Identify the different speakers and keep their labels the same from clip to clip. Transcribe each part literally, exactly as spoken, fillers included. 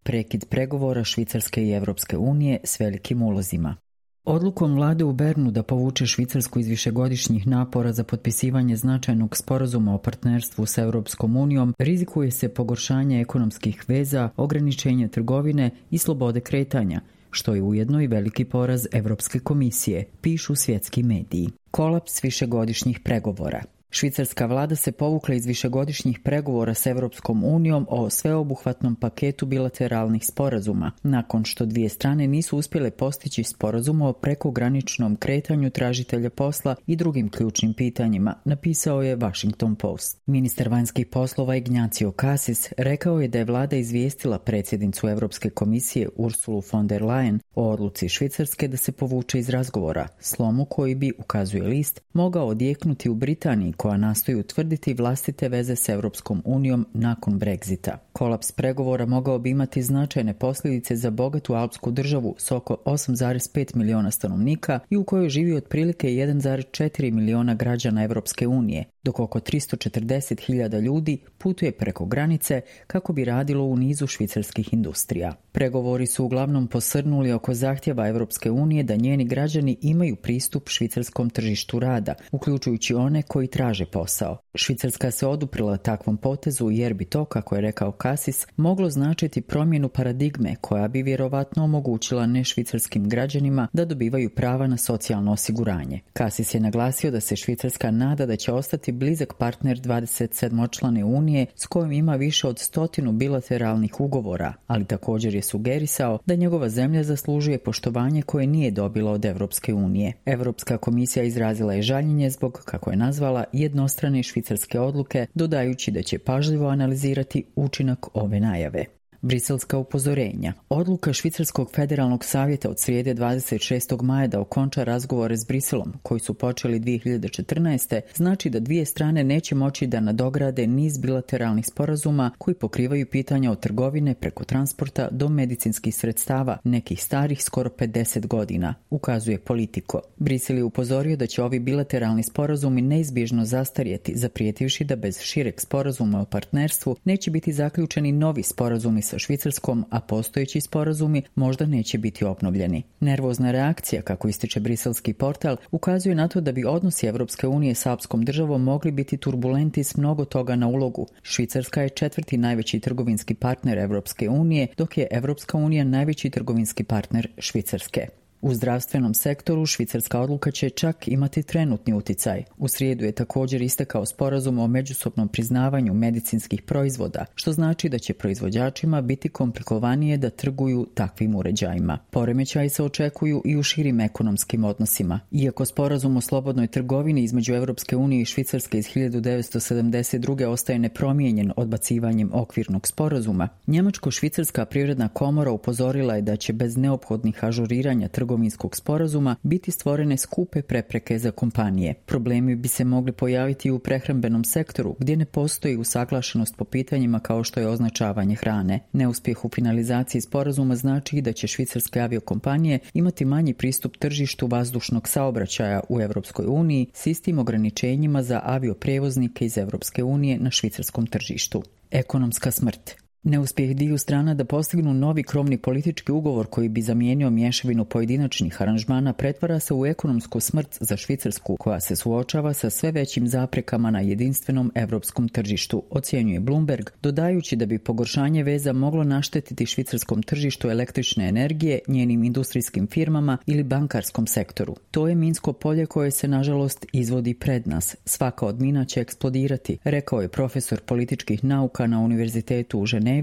Speaker 1: Prekid pregovora Švicarske i Evropske unije s velikim ulozima. Odlukom vlade u Bernu da povuče Švicarsku iz višegodišnjih napora za potpisivanje značajnog sporazuma o partnerstvu s Europskom unijom rizikuje se pogoršanje ekonomskih veza, ograničenje trgovine i slobode kretanja, što je ujedno i veliki poraz Evropske komisije, pišu svjetski mediji. Kolaps višegodišnjih pregovora. Švicarska vlada se povukla iz višegodišnjih pregovora s Evropskom unijom o sveobuhvatnom paketu bilateralnih sporazuma, nakon što dvije strane nisu uspjele postići sporazum o prekograničnom kretanju tražitelja posla i drugim ključnim pitanjima, napisao je Washington Post. Ministar vanjskih poslova Ignacio Cassis rekao je da je vlada izvijestila predsjednicu Evropske komisije Ursulu von der Leyen o odluci Švicarske da se povuče iz razgovora, slomu koji bi, ukazuje list, mogao odjeknuti u Britaniji koja nastoji utvrditi vlastite veze s Evropskom unijom nakon Brexita. Kolaps pregovora mogao bi imati značajne posljedice za bogatu alpsku državu s oko osam zarez pet miliona stanovnika i u kojoj živi otprilike jedan zarez četiri miliona građana Evropske unije, dok oko tristo četrdeset hiljada ljudi putuje preko granice kako bi radilo u nizu švicarskih industrija. Pregovori su uglavnom posrnuli oko zahtjeva Evropske unije da njeni građani imaju pristup švicarskom tržištu rada, uključujući one koji traže posao. Švicarska se oduprla takvom potezu jer bi to, kako je rekao Cassis, moglo značiti promjenu paradigme koja bi vjerovatno omogućila nešvicarskim građanima da dobivaju prava na socijalno osiguranje. Cassis je naglasio da se Švicarska nada da će ostati blizak partner dvadeset sedmočlane unije s kojim ima više od stotinu bilateralnih ugovora, ali također je sugerisao da njegova zemlja zaslužuje poštovanje koje nije dobila od Evropske unije. Evropska komisija izrazila je žaljenje zbog, kako je nazvala, jednostrane švicarske odluke, dodajući da će pažljivo analizirati učinak ove najave. Briselska upozorenja. Odluka Švicarskog federalnog savjeta od srijede dvadeset šestog maja da okonča razgovore s Briselom, koji su počeli dvije hiljade četrnaeste, znači da dvije strane neće moći da nadograde niz bilateralnih sporazuma koji pokrivaju pitanja od trgovine preko transporta do medicinskih sredstava, nekih starih skoro pedeset godina, ukazuje Politico. Brisel je upozorio da će ovi bilateralni sporazumi neizbježno zastarjeti, zaprijetivši da bez šireg sporazuma o partnerstvu neće biti zaključeni novi sporazumi sa Švicarskom, a postojeći sporazumi možda neće biti obnovljeni. Nervozna reakcija, kako ističe briselski portal, ukazuje na to da bi odnosi Evropske unije s alpskom državom mogli biti turbulenti s mnogo toga na ulogu. Švicarska je četvrti najveći trgovinski partner Evropske unije, dok je Evropska unija najveći trgovinski partner Švicarske. U zdravstvenom sektoru švicarska odluka će čak imati trenutni uticaj. U srijedu je također istekao sporazum o međusobnom priznavanju medicinskih proizvoda, što znači da će proizvođačima biti komplikovanije da trguju takvim uređajima. Poremećaji se očekuju i u širim ekonomskim odnosima. Iako sporazum o slobodnoj trgovini između Evropske unije i Švicarske iz hiljadu devetsto sedamdeset druge ostaje nepromijenjen odbacivanjem okvirnog sporazuma, Njemačko-švicarska privredna komora upozorila je da će bez neophodnih ažuriranja trgovinskog trgovinskog sporazuma biti stvorene skupe prepreke za kompanije. Problemi bi se mogli pojaviti u prehrambenom sektoru gdje ne postoji usaglašenost po pitanjima kao što je označavanje hrane. Neuspjeh u finalizaciji sporazuma znači da će švicarske aviokompanije imati manji pristup tržištu vazdušnog saobraćaja u Europskoj uniji s istim ograničenjima za avioprevoznike iz Europske unije na švicarskom tržištu. Ekonomska smrt. Neuspjeh dviju strana da postignu novi krovni politički ugovor koji bi zamijenio mješavinu pojedinačnih aranžmana pretvara se u ekonomsku smrt za Švicarsku, koja se suočava sa sve većim zaprekama na jedinstvenom europskom tržištu, ocjenjuje Bloomberg, dodajući da bi pogoršanje veza moglo naštetiti švicarskom tržištu električne energije, njenim industrijskim firmama ili bankarskom sektoru. To je minsko polje koje se nažalost izvodi pred nas. Svaka od mina će eksplodirati, rekao je profesor političkih nauka na Univerzitetu u Ženevi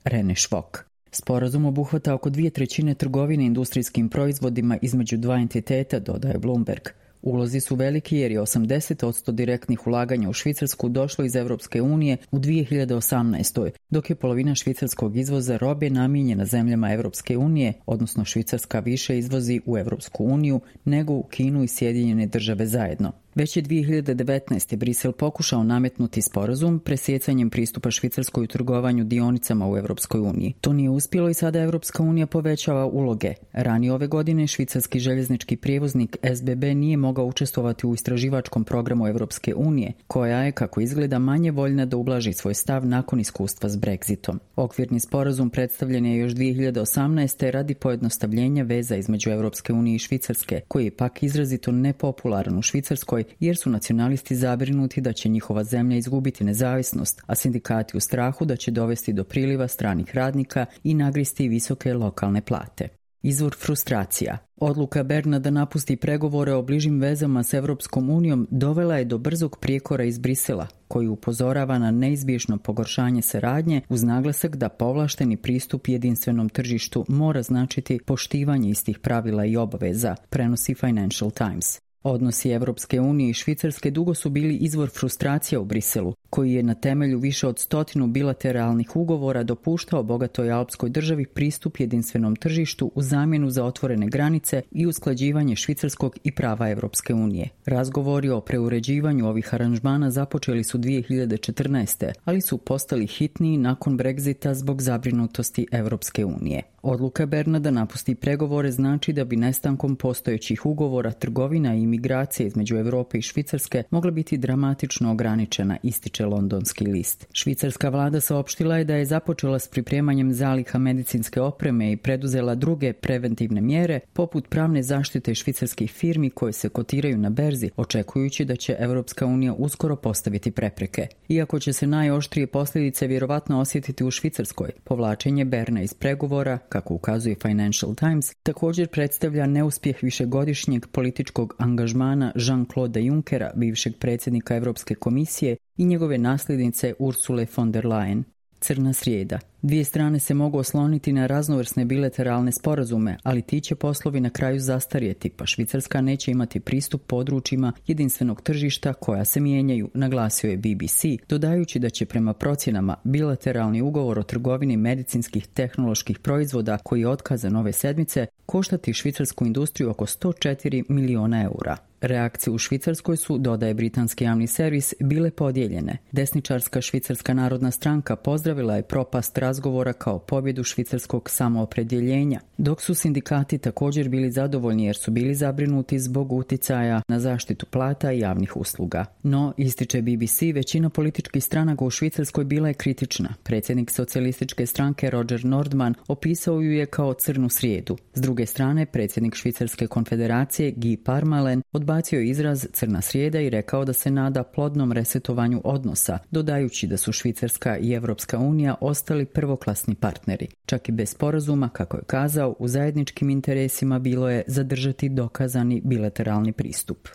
Speaker 1: Rene Švok. Sporazum obuhvata oko dvije trećine trgovine industrijskim proizvodima između dva entiteta, dodaje Bloomberg. Ulozi su veliki jer je osamdeset posto direktnih ulaganja u Švicarsku došlo iz Europske unije u dvije hiljade osamnaestoj. dok je polovina švicarskog izvoza robe namijenjena zemljama Europske unije, odnosno Švicarska više izvozi u Europsku uniju nego u Kinu i Sjedinjene države zajedno. Već je dvije hiljade devetnaeste. Brisel pokušao nametnuti sporazum presjecanjem pristupa Švicarskoj u trgovanju dionicama u Europskoj uniji. To nije uspjelo i sada Europska unija povećava uloge. Ranije ove godine švicarski željeznički prijevoznik S B B nije mogao učestvovati u istraživačkom programu Europske unije, koja je, kako izgleda, manje voljna da ublaži svoj stav nakon iskustva s Brexitom. Okvirni sporazum predstavljen je još dvije hiljade osamnaeste. radi pojednostavljenja veza između Europske unije i Švicarske, koji je pak izrazito nepopularan u Švicarskoj jer su nacionalisti zabrinuti da će njihova zemlja izgubiti nezavisnost, a sindikati u strahu da će dovesti do priliva stranih radnika i nagristi visoke lokalne plate. Izvor frustracija. Odluka Berna da napusti pregovore o bližim vezama s Europskom unijom dovela je do brzog prijekora iz Brisela, koji upozorava na neizbježno pogoršanje saradnje uz naglasak da povlašteni pristup jedinstvenom tržištu mora značiti poštivanje istih pravila i obaveza, prenosi Financial Times. Odnosi Europske unije i Švicarske dugo su bili izvor frustracija u Briselu, koji je na temelju više od stotinu bilateralnih ugovora dopuštao bogatoj alpskoj državi pristup jedinstvenom tržištu u zamjenu za otvorene granice i usklađivanje švicarskog i prava Europske unije. Razgovori o preuređivanju ovih aranžmana započeli su dvije hiljade četrnaeste. ali su postali hitniji nakon Brexita zbog zabrinutosti Europske unije. Odluka Berna da napusti pregovore znači da bi nestankom postojećih ugovora trgovina i imigracije između Europe i Švicarske mogla biti dramatično ograničena, ističe londonski list. Švicarska vlada saopštila je da je započela s pripremanjem zaliha medicinske opreme i preduzela druge preventivne mjere, poput pravne zaštite švicarskih firmi koje se kotiraju na berzi, očekujući da će Europska unija uskoro postaviti prepreke. Iako će se najoštrije posljedice vjerovatno osjetiti u Švicarskoj, povlačenje Berna iz pregovora, kako ukazuje Financial Times, također predstavlja neuspjeh višegodišnjeg političkog angažmana Jean-Claude Junckera, bivšeg predsjednika Europske komisije, i njegove nasljednice Ursule von der Leyen. Crna srijeda. Dvije strane se mogu osloniti na raznovrsne bilateralne sporazume, ali ti će poslovi na kraju zastarjeti, pa Švicarska neće imati pristup područjima jedinstvenog tržišta koja se mijenjaju, naglasio je B B C, dodajući da će prema procjenama bilateralni ugovor o trgovini medicinskih tehnoloških proizvoda koji je otkazan ove sedmice koštati švicarsku industriju oko sto četiri miliona eura. Reakcije u Švicarskoj su, dodaje britanski javni servis, bile podijeljene. Desničarska Švicarska narodna stranka pozdravila je propast razgovora kao pobjedu švicarskog samoopredjeljenja, dok su sindikati također bili zadovoljni jer su bili zabrinuti zbog uticaja na zaštitu plata i javnih usluga. No, ističe B B C, većina političkih stranaka u Švicarskoj bila je kritična. Predsjednik socijalističke stranke Roger Nordman opisao ju je kao crnu srijedu. S druge strane, predsjednik Švicarske konfederacije Guy Parmelin odbacio je izraz crna srijeda i rekao da se nada plodnom resetovanju odnosa, dodajući da su Švicarska i Europska unija ostali prvoklasni partneri. Čak i bez sporazuma, kako je kazao, u zajedničkim interesima bilo je zadržati dokazani bilateralni pristup.